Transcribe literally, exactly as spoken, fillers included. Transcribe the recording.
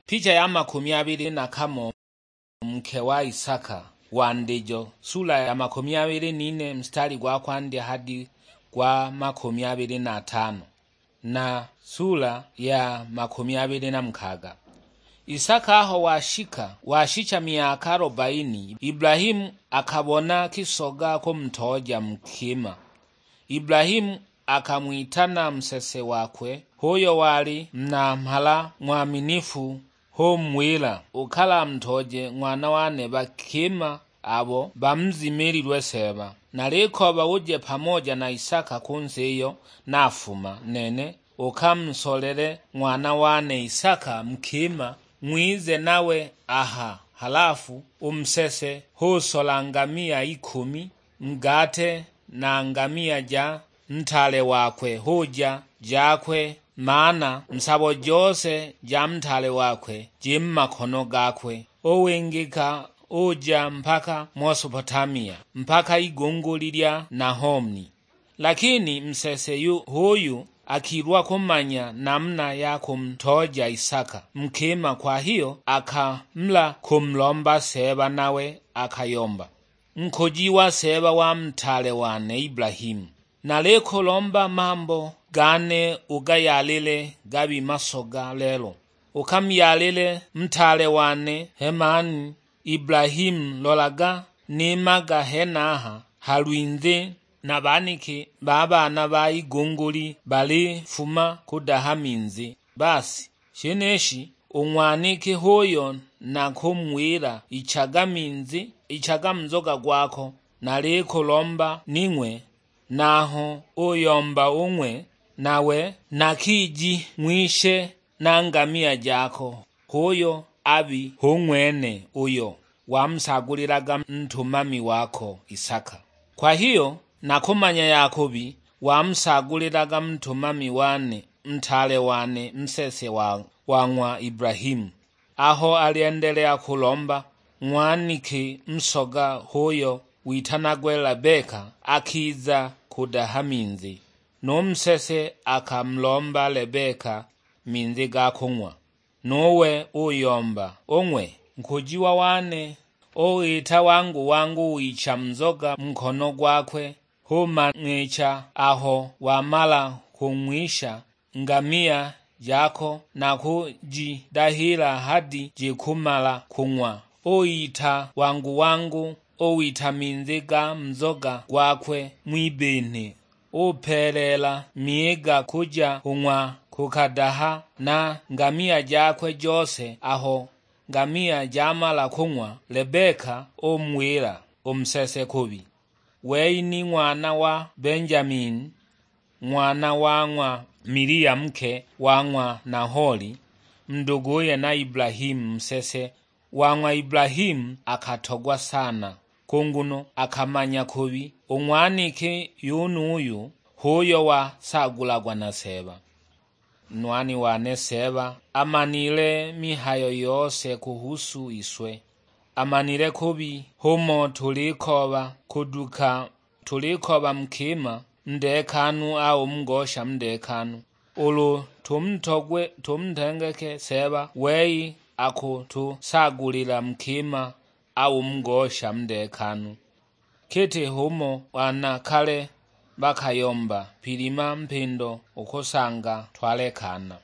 Picha ya makumi abili na kamo. Nke wa Isaka, wandijo, sula ya makumi abili n'ine, mstari gwa kwandya hadi gwa makumi abili na tano, na sula ya makumi abili na mukaga. Isaka aho washika, washicha myaka arobaini, Ibrahimu akabona kisoga kumutooja mu kima. Ibrahimu akang'witana nsese wakwe, h'uyo wali muna mhala ng'waminifu, h'umuwila, "Ukalamutooje ng'wana wane bakima abo bamuzimililwe Seeba. Nalikooba uje pamoja na Isaka ku nsi iyo nafuma nene, ukamusolele ng'wana wane Isaka nkima, ng'wize nawe aha." Halafu u nsese h'usola ngamia ikumi, ngate na ngamia ja ntaale wakwe, huja jakwe, maana nsabo jose ja ntaale wakwe ji mu makono gakwe. Uwingika uja mpaka Mesopotamia, mpaka igunguli lya Nahomni. Lakini nsese yu h'uyu akilwa kumanya namuna ya kumutooja Isaka nkima, kwa hiyo akamula kumulomba Seeba, nawe akayomba. Nkujiwa Seeba wa ntaale wane Ibrahimu, nalikulomba mambo gane ugayalile gabi masoga lelo. Ukamyalile ntaale wane Hemani Ibrahimu. Lolaga, nimaga henaha ha lwinzi, na baniki ba baana ba igunguli balifuma kudaha minzi. Basi, shenishi u ng'waniki h'uyo nakumuwila, "Ichaga minzi, ichaga muzoga gwako, nalikulomba ning'we." Naho uyomba ung'we, nawe nakiji ng'wishe na ngamia jako, h'uyo abi hu ng'wene uyo wamusagulilaga ntumami wako Isaka. Kwa hiyo nakumanya Yakobi wamusagulilaga ntumami wane, ntaale wane, nsese wa, wa ng'wa Ibrahimu. Aho alyendelea kulomba, ng'waniki nsoga h'uyo witanagwe Lebeka akiza kudaha minzi, nu nsese akamulomba Lebeka minzi ga kung'wa. Nuwe uyomba, "Ung'we, nkujiwa wane." Uwita wangu wangu wicha nzoga mu nkono gwakwe, humang'icha aho wamala kung'wisha ngamia jako na kujidahila hadi jikumala kung'wa. Uyita wangu wangu, uwita minzi ga nzoga gwakwe ng'wibinhi, upeeleela miiga kuja kung'wa kukadaha na ngamia jakwe jose. Aho ngamia jamala kung'wa, Lebeka umuwila u nsese kubi, "Wei ni ng'wana wa Benjamini, ng'wana wa ng'wa Milia nke wa ng'wa Naholi, nduguye na Ibrahimu." Nsese wa ng'wa Ibrahimu akatogwa sana, kunguno akamanya kubi u ng'waniki yunuyu h'uyo wasaagulagwa na Seeba. Nwani wane Seeba amanile mihayo yose kuhusu iswe. Amanile kubi, humo tulikooba kuduka, tulikooba mukima ndekanu au mugosha ndekanu. Ulu tumutogwe, tumutengeke Seeba, wei akutusaagulila mukima au mugosha ndekanu. Kiti humo bana kale bakayomba pilima mpindo ukusanga twalekana.